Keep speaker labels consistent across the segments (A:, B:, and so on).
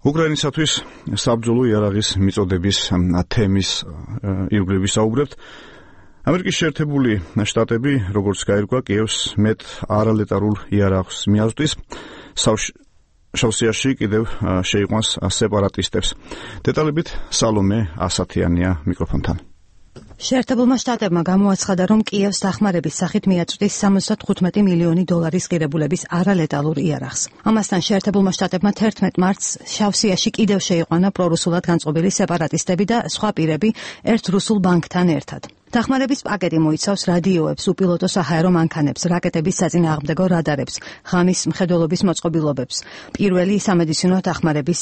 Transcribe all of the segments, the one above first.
A: უკრაინისათვის საბრძოლო იარაღის მიწოდების თემის ირგვლივ საუბრებთ. ამერიკის შეერთებული შტატები, როგორც გაირკვა, კიევს მეტ არალეტალურ იარაღს მიაწვდის. შავსიაში კიდევ შეიყვანს სეპარატისტებს. დეტალებით სალომე ასათიანია მიკროფონთან.
B: შეერთებულმა შტატებმა გამოაცხადა, რომ კიევს დახმარების სახით მიაწვდის 75 მილიონი დოლარის ღირებულების არალეტალურ იარაღს. ამასთან შეერთებულმა შტატებმა 11 მარტს შავსიაში კიდევ შეიყვანა პრორუსულად განწყობილი სეპარატისტები და სხვა პირები ერთ რუსულ ბანკთან ერთად. დახმარების პაკეტი მოიცავს რადიოებს, უპილოტო საჰაერო მანქანებს, რაკეტების საწინააღმდეგო რადარებს, ღამის მხედველობის მოწყობილობებს, პირველი სამედიცინო დახმარების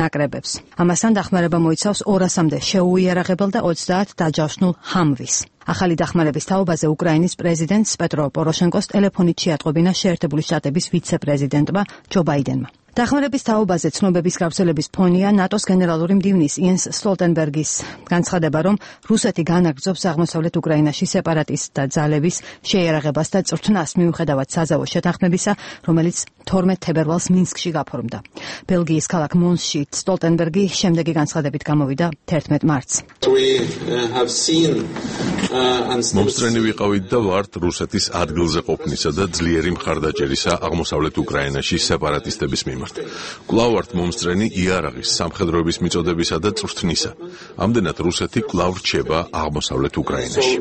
B: ნაკრებებს. ამასთან დახმარება მოიცავს 200-მდე შეუიარაღებელ და 30 დაჯავშნულ ჰამვის. ახალი დახმარების თაობაზე უკრაინის პრეზიდენტს პეტრო პოროშენკოს ტელეფონით შეატყობინა შეერთებული შტატების ვიცე-პრეზიდენტმა ჯო ბაიდენმა. დახმარების თაობაზე ცნობების გავრცელების ფონია ნატოს გენერალური მდივნის იენს სტოლტენბერგის განცხადება, რომ რუსეთი განაგრძობს აღმოსავლეთ უკრაინაში სეპარატისტთა ძალების შეიარაღებას და წვრთნას მიუხედავად საზავო შეთანხმებისა, რომელიც 12 თებერვალს მინსკში გაფორმდა. ბელგიის ქალაქ მონსში სტოლტენბერგი შემდეგი განცხადებით გამოვიდა 11 მარტს.
C: მომსწრენი ვიყავით და ვართ რუსეთის ადგილზე ყოფნისა და ძლიერი მხარდაჭერისა აღმოსავლეთ უკრაინაში სეპარატისტების მიმართ. კვლავ ვართ მომსწრენი იარაღის, სამხედროების მიწოდებისა და წვრთნისა. ამდენად რუსეთი კვლავ რჩება აღმოსავლეთ უკრაინაში.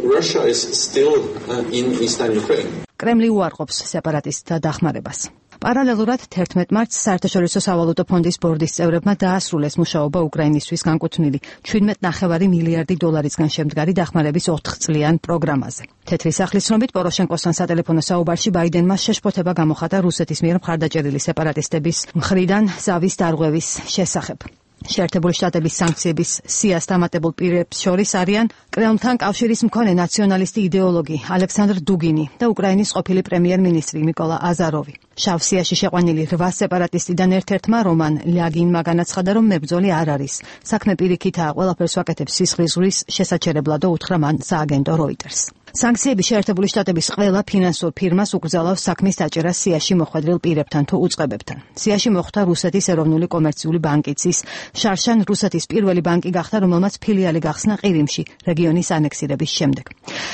B: კრემლი უარყოფს სეპარატისტთა დახმარებას. პარალელურად 11 მარტს საერთაშორისო სავალუტო ფონდის ბორდის წევრებმა დაასრულეს მუშაობა უკრაინისთვის განკუთვნილი 17.5 მილიარდი დოლარისგან შემდგარი დახმარების 4 წლიან პროგრამაზე. თეთრი სახლის ცნობით პოროშენკოსთან სატელეფონო საუბარში ბაიდენმა შეშფოთება გამოხატა რუსეთის მიერ მხარდაჭერილი სეპარატისტების მხრიდან ზავის დარღვევის შესახებ. შეერთებული შტატების სანქციების სიას დამატებულ პირებს შორის არიან კრემლთან კავშირის მქონე ნაციონალისტი იდეოლოგი ალექსანდრ დუგინი და უკრაინის ყოფილი პრემიერ-მინისტრი მიკოლა აზაროვი. შავსიაში შეყვანილი 8 სეპარატისტიდან ერთ-ერთმა რომან ლიაგინმა განაცხადა, რომ მებრძოლი არ არის. საქმე პირიქითაა, ყველაფერს ვაკეთებს სისხლის ზღვის შესაჩერებლად და უთხრა მან სააგენტო როიტერს. სანქციები შეერთებული შტატების ყველა ფინანსურ ფირმას უკრძალავს საქმის დაჭერას სიაში მოხვედრილ პირებთან თუ უწყებებთან. სიაში მოხვდა რუსეთის ეროვნული კომერციული ბანკიც ის შარშან რუსეთის პირველი ბანკი გახდა, რომელმაც ფილიალი გახსნა ყირიმში რეგიონის ანექსირების შემდეგ.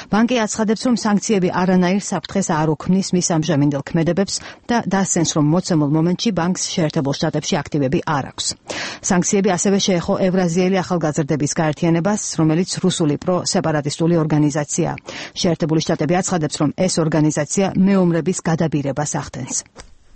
B: ბანკი აცხადებს, რომ სანქციები არანაირ საფრთხეს არ უქმნის მის ამჟამინდელ ქმედებებს და დასცენს, რომ მოცემულ მომენტში ბანკს შეერთებულ შტატებში აქტივები არ აქვს. სანქციები ასევე შეეხო ევრაზიელი ახალგაზრდების გაერთიანებას, რომელიც რუსული პრო-სეპარატისტული ორგანიზაციაა. შეერთებული შტატები აცხადებს, რომ ეს ორგანიზაცია მეომრების გადაბირებას ახდენს.